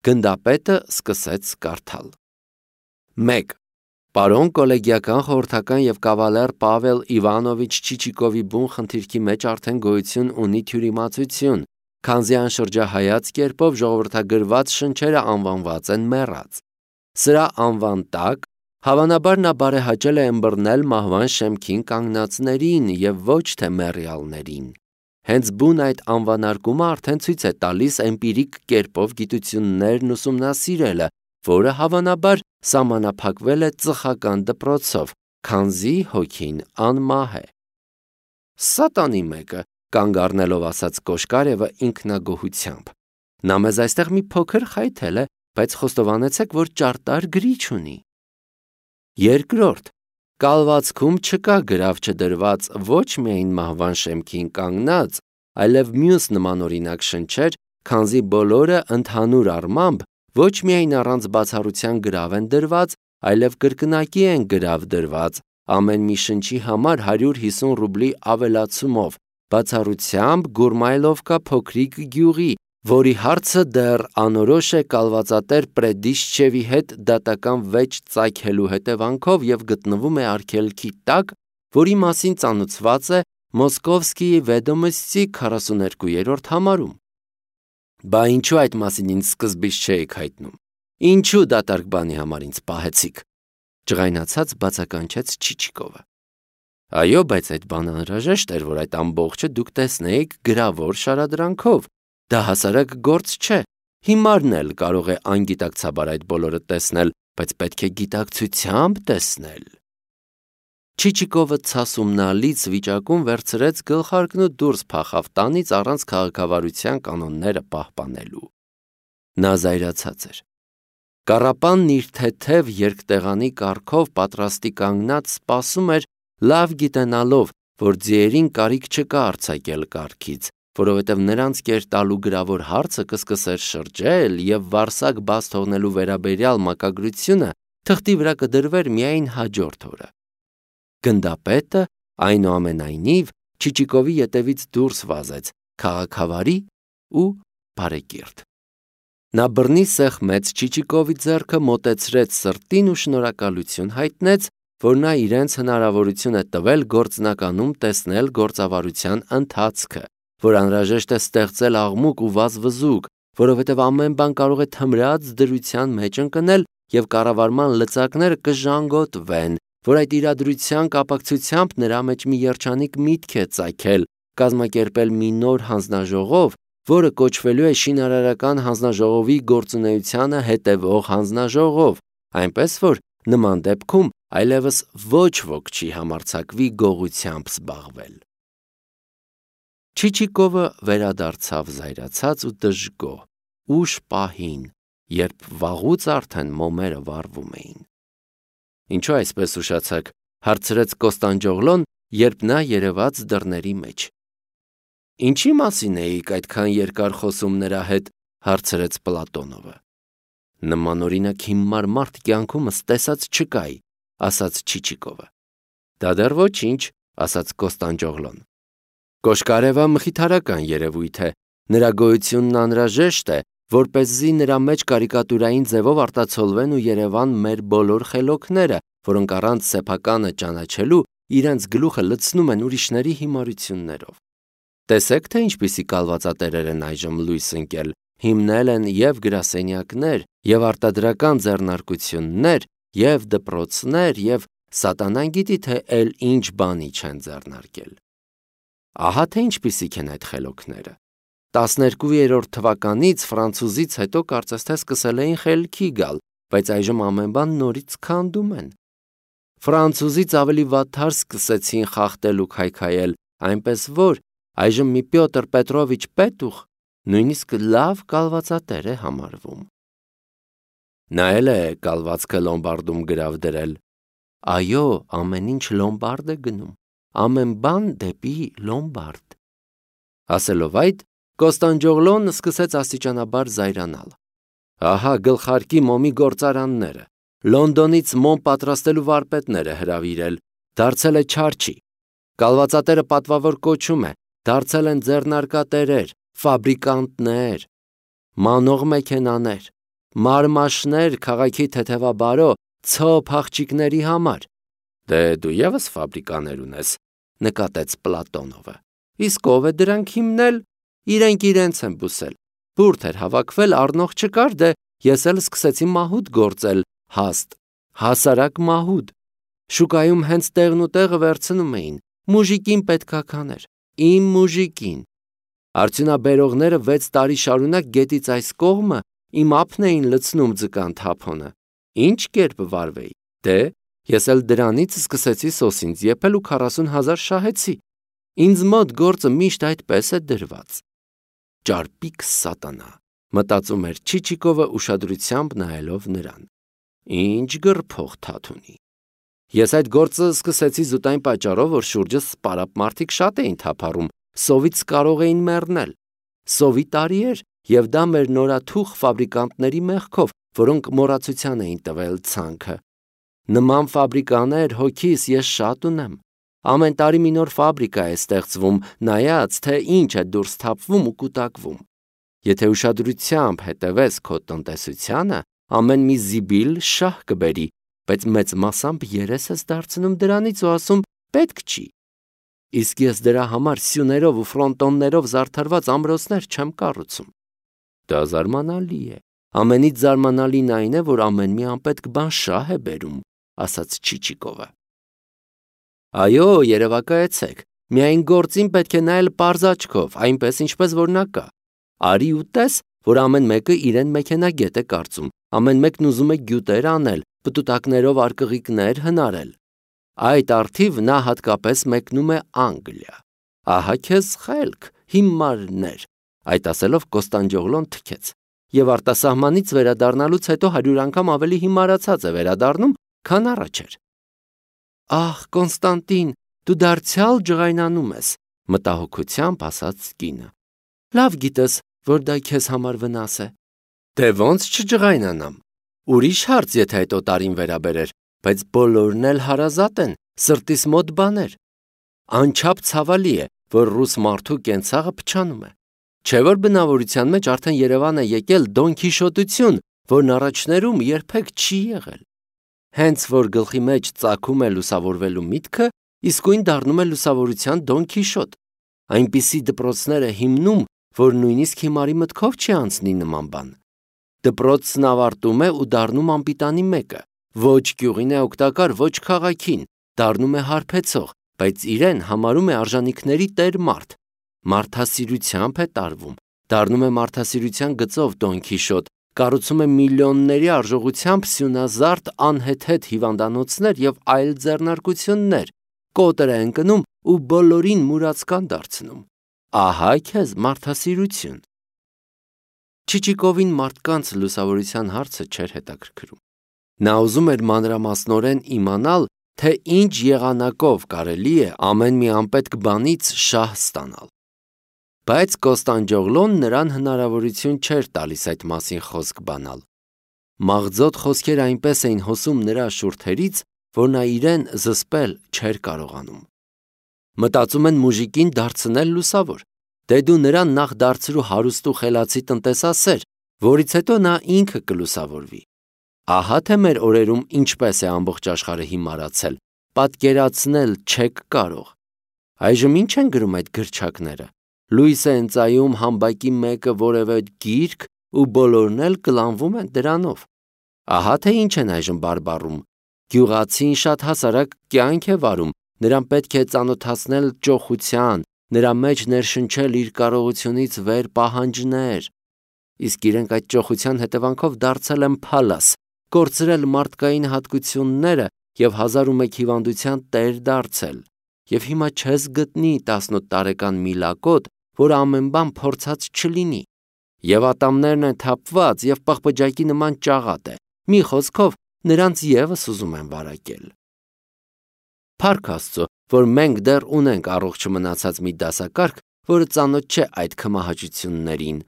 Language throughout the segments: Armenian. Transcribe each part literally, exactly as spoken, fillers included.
Գնդապետը սկսեց կարդալ. մեկ. Պարոն կոլեգիական խորհրդական և կավալեր Պավել Իվանովիչ Չիչիկովի բուն խնդիրքի մեջ արդեն գոյություն ունի թյուրիմացություն, քանզի անշրջահայաց կերպով ժողովրդագրված շնչերը անվանված են մեռած։ Սրա անվան տակ հավանաբար նա բարեհաճել է ըմբռնել մահվան շեմքին կանգնածներին և ոչ թե մեռյալներին։ Հենց բուն այդ անվանարկումը արդեն ցույց է տալիս էմպիրիկ կերպով գիտություններն ուսումնասիրելը, որը հավանաբար սահմանափակվել է ծխական դպրոցով, քանզի հոգին անմահ է։ Սատանի մեկը, կանգ առնելով ասաց Կոշկարևը ինքնագոհությամբ։ Նա մեզ այստեղ մի փոքր խայթել է, բայց խոստովանեցեք, որ ճարտար գրիչ ունի։ Երկրորդ. կալվածքում չկա գրավ չդրված ոչ միայն մահվան շեմքին կանգնած, այլև մյուս նմանօրինակ շնչեր, քանզի բոլորը ընդհանուր առմամբ ոչ միայն առանց բացառության գրավ են դրված, այլև կրկնակի են գրավ դրված, ամեն մի շնչի համար հարյուր հիսուն ռուբլի ավելացումով, բացառությամբ Գուրմայլովկա փոքրիկ գյուղի, որի հարցը դեռ անորոշ է կալվածատեր Պրեդիշչևի հետ դատական վեճ ծագելու հետևանքով և գտնվում է արգելքի տակ, որի մասին ծանոթված է Մոսկովսկիի Վեդոմոստի քառասուներկուերորդ համարում։ Բա ինչու այդ մասին ինձ սկզբից չէիք հայտնում։ Ինչու դատարկ բանի համար ինձ պահեցիք, ջղայնացած բացականչեց Չիչիկովը։ Այո, բայց այդ բանը անհրաժեշտ էր, որ այդ ամբողջը դուք տեսնեիք գրավոր շարադրանքով։ Դա հասարակ գործ չէ։ Հիմարն էլ կարող է անգիտակցաբար այդ բոլորը տեսնել, բայց պետք է գիտակցությամբ տեսնել։ Չիչիկովը ցասումնալից վիճակում վերցրեց գլխարկն ու դուրս փախավ տանից առանց քաղաքավարության կանոնները պահպանելու։ Նա զայրացած էր։ Կառապանն իր թեթև երկտեղանի կառքով պատրաստի կանգնած սպասում էր, լավ գիտենալով, որ ձիերին կարիք չկա արձակել կառքից, որովհետև նրանց կերտալու գրավոր հարցը կսկսեր շրջել և վարսակ բաց թողնելու վերաբերյալ մակագրությունը թղթի վրա կդրվեր միայն հաջորդ օրը։ Գնդապետը, այնուամենայնիվ, Չիչիկովի ետևից դուրս վազեց, քաղաքավարի ու բարեկիրթ։ Նա բռնի սեղմեց Չիչիկովի ձեռքը, մոտեցրեց սրտին ու շնորհակալություն հայտնեց, որ նա իրենց հնարավորություն է տվել գործնականում տեսնել գործավարության ընթացքը, որ անհրաժեշտ է ստեղծել աղմուկ ու վազվզուկ, որովհետև ամեն բան կարող է թմրած դրության մեջ ընկնել և կառավարման լծակները կժանգոտվեն, որ այդ իրադրության կապակցությամբ նրա մեջ մի երջանիկ միտք է ծագել կազմակերպել մի նոր հանձնաժողով, որը կոչվելու է շինարարական հանձնաժողովի գործունեությանը հետևող հանձնաժողով, այնպես որ նման դեպքում այլևս ոչ ոք չի համարձակվի գողությամբ զբաղվել։ Չիչիկովը վերադարձավ զայրացած ու դժգոհ, ուշ պահին, երբ վաղուց արդեն մոմերը վառվում էին։ Ինչու այսպես ուշացաք, հարցրեց Կոստանդջոգլոն, երբ նա երևաց դռների մեջ։ Ինչի մասին էիք այդքան երկար խոսում նրա հետ, հարցրեց Պլատոնովը։ Նմանօրինակ հիմար մարդ կյանքումս տեսած չկայի, ասաց Չիչիկովը։ Դա դեռ ոչինչ, ասաց Կոստանդջոգլոն։ Կոշկարևը մխիթարական երևույթ է, նրա գոյությունն անհրաժեշտ է, որպեսզի նրա մեջ կարիկատուրային ձևով արտացոլվեն ու երևան մեր բոլոր խելոքները, որոնք առանց սեփականը ճանաչելու իրենց գլուխը լցնում են ուրիշների հիմարություններով։ Տեսեք, թե ինչպիսի կալվածատերեր են այժմ լույս ընկել, հիմնել են և գրասենյակներ, և արտադրական ձեռնարկություններ, և դպրոցներ, և սատանան գիտի, թե էլ ինչ բանի չեն ձեռնարկել։ Ահա թե ինչպիսիք են այդ խելոքները։ Տասներկուերորդ թվականից ֆրանցուզից հետո կարծես թե սկսել էին խելքի գալ, բայց այժմ ամեն բան նորից քանդում են։ Ֆրանցուզից ավելի վատթար սկսեցին խախտել ու քայքայել, այնպես որ այժմ մի Պյոտր Պետրովիչ Պետուխ նույնիսկ լավ կալվածատեր է համարվում։ Նա էլ է կալվածքը լոմբարդում գրավ դրել։ Այո, ամեն ինչ լոմբարդ է գնում, ամեն բան դեպի լոմբարդ։ Ասելով այդ, Կոստանդջոգլոն սկսեց աստիճանաբար զայրանալ։ Ահա գլխարկի մոմի գործարանները, Լոնդոնից մոմ պատրաստելու վարպետները հրավիրել, դարձել է չարչի։ Կալվածատերը պատվավոր կոչում է, դարձել են ձեռնարկատերեր, ֆաբրիկանտներ, մանող մեքենաներ, մարմաշներ քաղաքի թեթևաբարո ցոփ աղջիկների համար։ Դե դու եւս ֆաբրիկաներ ունես, նկատեց Պլատոնովը։ Իսկ ով է դրանք հիմնել, իրենք իրենց են բուսել։ Բուրդ էր հավաքվել, առնող չկար, դե ես էլ սկսեցի մահուդ գործել, հաստ, հասարակ մահուդ։ Շուկայում հենց տեղն ու տեղը վերցնում էին, մուժիկին պետքա կաներ, իմ մուժիկին։ Արդյունաբերողները վեց տարի շարունակ գետից այս կողմը իմ ափն էին լցնում ձկան թափոնը։ Ինչ կերպ վարվեի, դե ես էլ դրանից սկսեցի սոսինձ եփել ու քառասուն հազար շահեցի։ Ինձ մոտ գործը միշտ այդպես է դրված։ Ճարպիկ սատանա, մտածում էր Չիչիկովը ուշադրությամբ նայելով նրան։ Ինչ գրփող թաթունի։ Ես այդ գործը սկսեցի զուտ այն պատճառով, որ շուրջս սպարապ մարդիկ շատ էին թափառում, սովից կարող էին մեռնել։ Սովի տարի էր, եւ դա մեր նորաթուխ ֆաբրիկանտների մեղքով, որոնք մոռացության էին տվել ցանքը։ Նման ֆաբրիկաներ հոգիս ես շատ ունեմ։ Ամեն տարի մի նոր ֆաբրիկա է ստեղծվում, նայած թե ինչ է դուրս թափվում ու կուտակվում։ Եթե ուշադրությամբ հետևես քո տնտեսությանը, ամեն մի զիբիլ շահ կբերի, բայց մեծ մասամբ երես ես դարձնում դրանից ու ասում պետք չի։ Իսկ ես դրա համար սյուներով ու ֆրոնտոններով զարդարված ամրոցներ չեմ կառուցում։ Դա զարմանալի է։ Ամենից զարմանալին այն է, որ ամեն մի անպետք բան շահ է բերում, ասաց Չիչիկովը։ Այո, երևակայեցեք, միայն գործին պետք է նայել պարզ աչքով, այնպես ինչպես որ նա կա։ Արի ու տես, որ ամեն մեկը իրեն մեքենագետ է կարծում, ամեն մեկն ուզում է գյուտեր անել, պտուտակներով արկղիկներ հնարել։ Այդ արդիվ նա հատկապես մեկնում է Անգլիա։ Ահա քեզ խելք, հիմարներ, այդ ասելով Կոստանդյողլոն թքեց, եւ արտասահմանից վերադառնալուց հետո հարյուր անգամ ավելի հիմարացած է վերադառնում, քան առաջ էր։ Ահ, Կոնստանտին, դու դարձյալ ջղայնանում ես, մտահոգությամբ ասաց կինը։ Լավ գիտես, որ դա քեզ համար վնաս է։ Դե ոնց չջղայնանամ։ Ուրիշ հարց, եթե այդ օտարին վերաբերեր, բայց բոլորն էլ հարազատ են, սրտիս մոտ բաներ։ Անչափ ցավալի է, որ ռուս մարդու կենցաղը փչանում է։ Չէ՞ որ բնավորության մեջ արդեն Երևան է եկել Դոն Քիշոտություն, որն առաջներում երբեք չի եղել։ Հենց որ գլխի մեջ ծագում է լուսավորվելու միտքը, իսկույն դառնում է լուսավորության Դոն Քիշոտ։ Այնպիսի դպրոցներ է հիմնում, որ նույնիսկ հիմարի մտքով չի անցնի նման բան։ Դպրոցն ավարտում է ու դառնում անպիտանի մեկը, ոչ գյուղին է օգտակար, ոչ քաղաքին, դառնում է հարբեցող, բայց իրեն համարում է արժանինքների տեր մարդ։ Մարդասիրությամբ է տարվում, դառնում է մարդասիրության գծով Դոն Քիշոտ, կառուցում է միլիոնների արժողությամբ սյունազարդ անհեթեթ հիվանդանոցներ եւ այլ ձեռնարկություններ, կոտր է ընկնում ու բոլորին մուրացկան դարձնում։ Ահա քեզ մարդասիրություն։ Չիչիկովին մարդկանց լուսավորության հարցը չէր հետաքրքրում։ Նա ուզում էր մանրամասնորեն իմանալ, թե ինչ եղանակով կարելի է ամեն մի անպետք բանից շահ ստանալ։ Բայց Կոստանդյողլոն նրան հնարավորություն չէր տալիս այդ մասին խոսք բանալ։ Մաղձոտ խոսքեր այնպես էին հոսում նրա շուրթերից, որ նա իրեն զսպել չէր կարողանում։ Մտածում են մուժիկին դարձնել լուսավոր։ Դե դու նրան նախ դարձրու հարուստ ու խելացի տնտեսասեր, որից հետո նա ինքը կլուսավորվի։ Ահա թե մեր օրերում ինչպես է ամբողջ աշխարհը հիմարացել, պատկերացնել չեք կարող։ Այժմ ինչ են գրում այդ գրչակները։ Լույս է ընծայում համբակի մեկը որևէ գիրք ու բոլորն էլ կլանվում են դրանով։ Ահա թե ինչ են այժմ բարբառում։ Գյուղացին շատ հասարակ կյանք է վարում, նրան պետք է ծանոթացնել ճոխության, նրա մեջ ներշնչել իր կարողությունից վեր պահանջներ։ Իսկ իրենք այդ ճոխության հետևանքով դարձել են փալաս, կորցրել մարդկային հատկությունները եւ հազար ու մեկ հիվանդության տեր դարձել։ Եվ հիմա չես գտնի տասնութ տարեկան միլակոտ, որ ամեն բան փորձած չլինի։ Եվ ատամներն են թափված եւ պղպջակի նման ճաղատ է։ Մի խոսքով նրանց եւս ուզում են վարակել։ Փառք Աստծո, որ մենք դեռ ունենք առողջ մնացած մի դասակարգ, որը ծանոթ չէ այդ քմահաճություններին։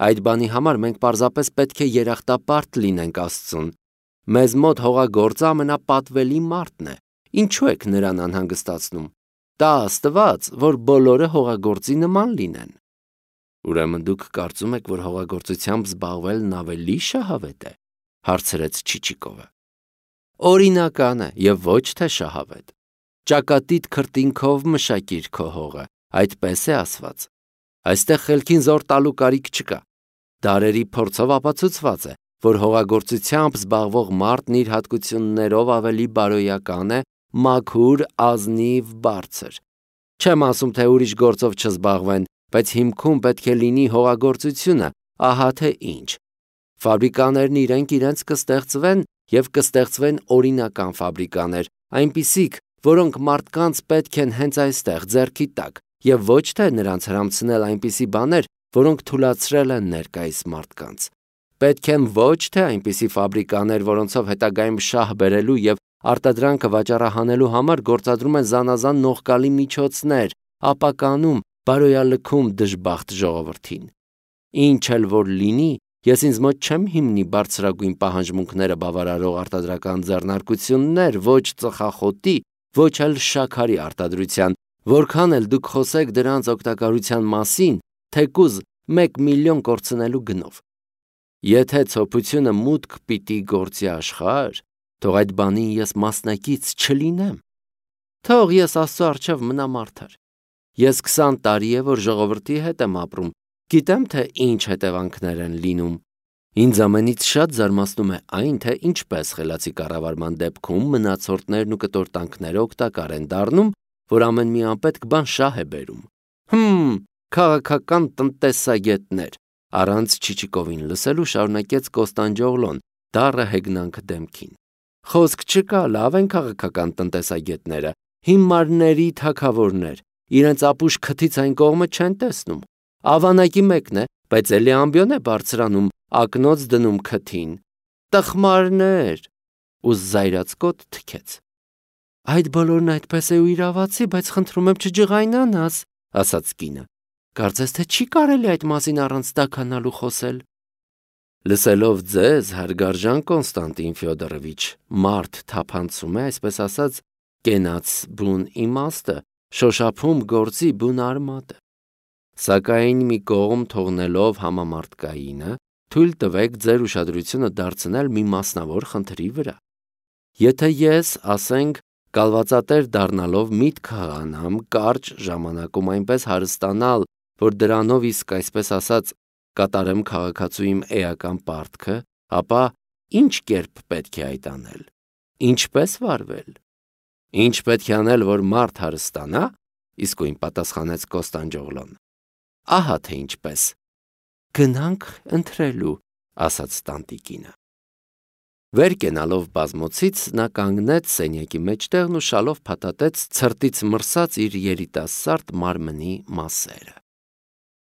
Այդ բանի համար մենք պարզապես պետք է երախտապարտ լինենք Աստծուն։ Մեզ մոտ հողագործը ամենապատվելի մարդն է։ Ինչու եք նրան անհանգստացնում։ Տա Աստված, որ բոլորը հողագործի նման լինեն։ Ուրեմն դուք կարծում եք, որ հողագործությամբ զբաղվելն ավելի շահավետ է, հարցրեց Չիչիկովը։ Օրինական է եւ ոչ թե շահավետ։ Ճակատիդ քրտինքով մշակիր քո հողը, այդպես է ասված։ Այստեղ խելքին զոր տալու կարիք չկա։ Դարերի փորձով ապացուցված է, որ հողագործությամբ զբաղվող մարդն իր հատկություններով ավելի բարոյական է, մաքուր, ազնիվ, բարձր։ Չեմ ասում, թե ուրիշ գործով չզբաղվեն, բայց հիմքում պետք է լինի հողագործությունը, ահա թե ինչ։ Ֆաբրիկաներն իրենք իրենց կստեղծվեն եւ կստեղծվեն օրինական ֆաբրիկաներ, այնպիսիք, որոնք մարդկանց պետք են հենց այստեղ ձեռքի տակ, եւ ոչ թե նրանց հրամցնել այնպիսի բաներ, որոնք թույլատրել են ներկայիս մարդկանց։ Պետք են ոչ թե այնպիսի ֆաբրիկաներ, որոնցով հետագայում շահ բերելու եւ արտադրանքը վաճառահանելու համար գործադրում են զանազան նողկալի միջոցներ, ապականում, բարոյալքում դժբախտ ժողովրդին։ Ինչ էլ որ լինի, ես ինձ մոտ չեմ հիմնի բարձրագույն պահանջմունքները բավարարող արտադրական ձեռնարկություններ, ոչ ծխախոտի, ոչ էլ շաքարի արտադրության, որքան էլ դուք խոսեք դրանց օգտակարության մասին, թեկուզ մեկ միլիոն կորցնելու գնով։ Եթե ցոփությունը մուտք պիտի գործի աշխարհ, թող այդ բանին ես մասնակից չլինեմ։ Թող ես Աստծո առջև մնամ արդար։ Ես քսան տարի է, որ ժողովրդի հետ եմ ապրում, գիտեմ, թե ինչ հետևանքներ են լինում։ Ինձ ամենից շատ զարմացնում է այն, թե ինչպես խելացի կառավարման դեպքում մնացորդներն ու կտորտանքները օգտակար են դառնում, որ ամեն մի անպետք բան շահ է բերում։ Հմ, քաղաքական տնտեսագետներ, առանց Չիչիկովին լսելու շարունակեց Կոստանդջոգլոն, դառը հեգնանք դեմքին։ Խոսք չկա, լավ են քաղաքական տնտեսագետները, հիմարների թագավորներ, իրենց ապուշ քթից այն կողմը չեն տեսնում։ Ավանակի մեկն է, բայց էլի ամբիոն է բարձրանում, ակնոց դնում քթին։ Տխմարներ, ու զայրացկոտ թքեց։ Այդ բոլորն այդպես է ու իրավացի, բայց խնդրում եմ չջղայնանաս, ասաց կինը։ Կարծես թե չի կարելի այդ մասին առանց տաքանալու խոսել։ Լսելով ձեզ, հարգարժան Կոնստանտին Ֆյոդորովիչ, մարդ թափանցում է, այսպես ասած, կենաց բուն իմաստը, շոշափում գործի բուն արմատը։ Սակայն մի կողմ թողնելով համամարտկայինը, թույլ տվեք ձեր ուշադրությունը դարձնել մի մասնավոր խնդրի վրա։ Եթե ես, ասենք, կալվածատեր դառնալով միտք հղանամ կարճ ժամանակում այնպես հարստանալ, որ դրանով իսկ այսպես ասած կատարեմ քաղաքացու իմ էական պարտքը, ապա ինչ կերպ պետք է այդ անել։ Ինչպես վարվել։ Ինչ պետք է անել, որ մարդ հարստանա, իսկույն պատասխանեց Կոստանդջոգլոն։ Ահա թե ինչպես։ Գնանք ընթրելու, ասաց տանտիկինը։ Վեր կենալով բազմոցից նա կանգնեց սենյակի մեջտեղն ու շալով փաթաթեց ցրտից մրսած իր երիտասարդ մարմնի մասերը։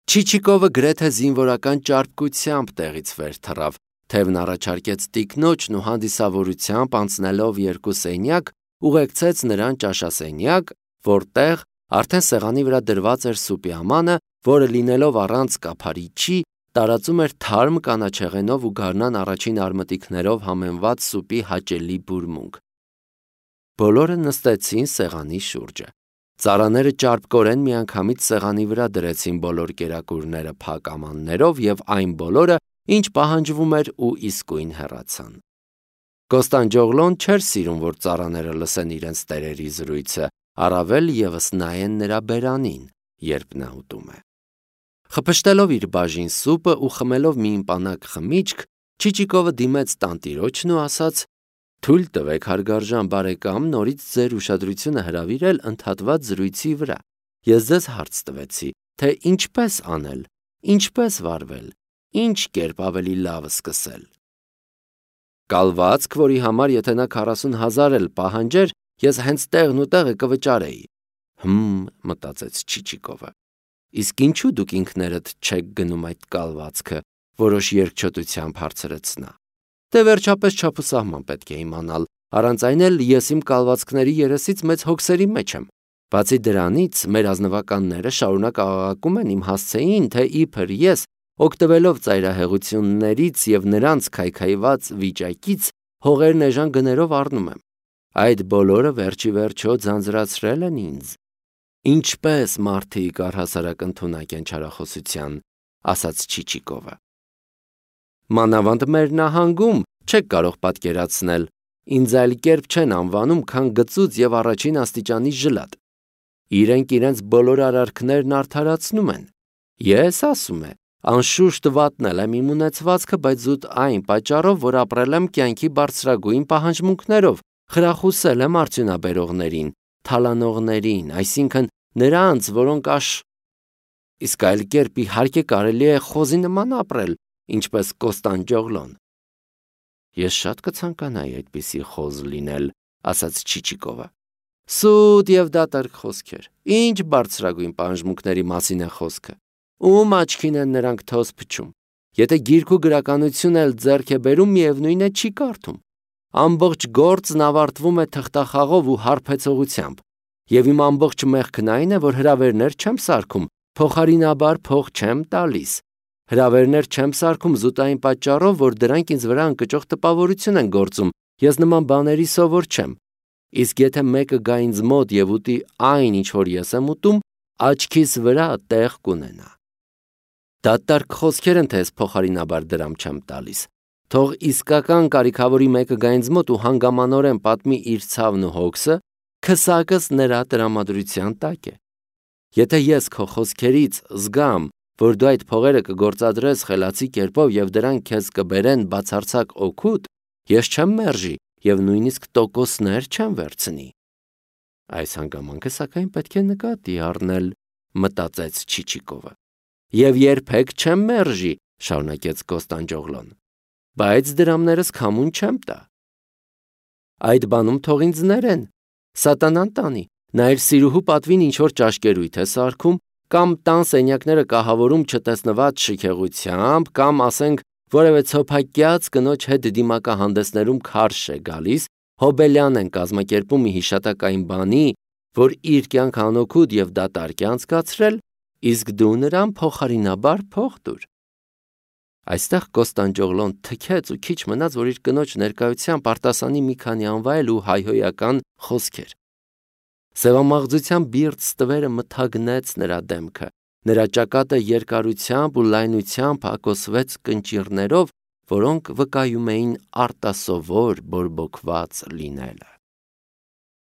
Չիչիկովը գրեթե զինվորական ճարպկությամբ տեղից վեր թռավ, թևն առաջարկեց տիկնոջն ու հանդիսավորությամբ անցնելով երկու սենյակ, ուղեկցեց նրան ճաշասենյակ, որտեղ արդեն սեղանի վրա դրված էր սուպի ամանը, որը լինելով առանց կափարիչի, տարածում էր թարմ կանաչեղենով ու գարնան առաջին արմատիկներով համեմված սուպի հաճելի բուրմունք։ Բոլորը նստեցին սեղանի շուրջը։ Ծառաները ճարպկորեն միանգամից սեղանի վրա դրեցին բոլոր կերակուրները փակ ամաններով եւ այն բոլորը, ինչ պահանջվում էր ու իսկույն հեռացան։ Կոստանդջոգլոն չէր սիրում, որ ծառաները լսեն իրենց տերերի զրույցը, առավել եւս նայեն նրա բերանին, երբ նա ուտում է։ Խփշտելով իր բաժին սուպը ու խմելով մի իմպանակ խմիչք, Չիչիկովը դիմեց տանտիրոջն ու ասաց. «Թույլ տվեք, հարգարժան բարեկամ, նորից ձեր ուշադրությունը հրավիրել ընդհատված զրույցի վրա։ Ես ձեզ հարց տվեցի, թե ինչպես անել, ինչպես վարվել, ինչ կերպ ավելի լավ սկսել։ Կալվածք, որի համար եթե նա քառասուն հազար էլ պահանջեր, ես հենց տեղն ու տեղը կվճարեի»։ Հմ, մտածեց Չիչիկովը։ Իսկ ինչու դուք ինքներդ չեք գնում այդ կալվածքը, որոշ երկչոտությամբ հարցրեց նա։ Դե վերջապես չափուսահման պետք է իմանալ, առանց այն էլ ես իմ կալվածքների երեսից մեծ հոգսերի մեջ եմ։ Բացի դրանից, մեր ազնվականները շարունակ աղաղակում են իմ հասցեին, թե իբր ես, օգտվելով ծայրահեղություններից եւ նրանց քայքայված վիճակից, հողերն էժան գներով առնում եմ։ Այդ բոլորը վերջի վերջո ձանձրացրել են ինձ։ Ինչպես մարդիկ առհասարակ ընդունակ են չարախոսության, ասաց Չիչիկովը։ Մանավանդ մեր նահանգում չեք կարող պատկերացնել, ինձ այլ կերպ չեն անվանում, քան գծուծ եւ առաջին աստիճանի ժլատ։ Իրենք իրենց բոլոր արարքներն արդարացնում են։ Ես ասում եմ, անշուշտ վատնել եմ իմ ունեցվածքը, բայց զուտ այն պատճառով, որ ապրել եմ կյանքի բարձրագույն պահանջմունքներով, խրախուսել եմ արդյունաբերողներին, թալանողներին, այսինքն նրանց, որոնք աշ... Իսկ այլ կերպ իհարկե կարելի է խոզի նման ապրել, ինչպես Կոստանդյոգլոն։ Ես շատ կցանկանայի այդպիսի խոզ լինել, ասաց Չիչիկովը։ Սուտ եւ դատարկ խոսքեր։ Ինչ բարձրագույն պահանջմունքների մասին է խոսքը։ Ում աչքին են նրանք թոզ փչում։ Եթե գիրք ու գրականություն էլ ձեռք է բերում, միևնույն է չի կարդում։ Ամբողջ գործն ավարտվում է թղթախաղով ու հարբեցողությամբ։ Եվ իմ ամբողջ մեղքն այն է, որ հրավերներ չեմ սարքում, փոխարինաբար փող չեմ տալիս։ Հրավերներ չեմ սարքում զուտ այն պատճառով, որ դրանք ինձ վրա ընկճող տպավորություն են գործում, ես նման բաների սովոր չեմ։ Իսկ եթե մեկը գա ինձ մոտ եւ ուտի այն, ինչ որ ես եմ ուտում, աչքիս վրա տեղ կունենա։ Դատարկ խոսքեր են, թե ես փոխարինաբար դրամ չեմ տալիս։ Թող իսկական կարիքավորի մեկը գա ինձ մոտ ու հանգամանորեն պատմի իր ցավն ու հոգսը, քսակս նրա տրամադրության տակ է։ Եթե ես քո խոսքերից զգամ, որ դու այդ փողերը կգործադրես խելացի կերպով եւ դրանք քեզ կբերեն բացարձակ օգուտ, ես չեմ մերժի եւ նույնիսկ տոկոսներ չեմ վերցնի։ Այս հանգամանքը սակայն պետք է նկատի առնել, մտածեց Չիչիկովը։ Եվ երբեք չեմ մերժի, շարունակեց Կոստանդյոգլոն, բայց դրամներս քամուն չեմ տա։ Այդ բանում թող ինձ ներեն, սատանան տանի, նա իր սիրուհու պատվին ինչ որ ճաշկերույթ է սարքում, կամ տան սենյակները կահավորում չտեսնված շքեղությամբ, կամ ասենք որևէ ցոփակյաց կնոջ հետ դիմակահանդեսներում քարշ է գալիս, հոբելյան են կազմակերպում մի հիշատակային բանի, որ իր կյանք անօգուտ եւ դատարկ է անցկացրել, իսկ դու նրան փոխարինաբար փող տուր։ Այստեղ Կոստանդյոգլոն թքեց ու քիչ մնաց, որ իր կնոջ ներկայությամբ արտասանի մի քանի անվայել ու հայհոյական խոսքեր։ Սևամաղձության բիրտ ստվերը մթագնեց նրա դեմքը, նրա ճակատը երկարությամբ ու լայնությամբ հակոսվեց կնճիռներով, որոնք վկայում էին արտասովոր բորբոքված լինելը։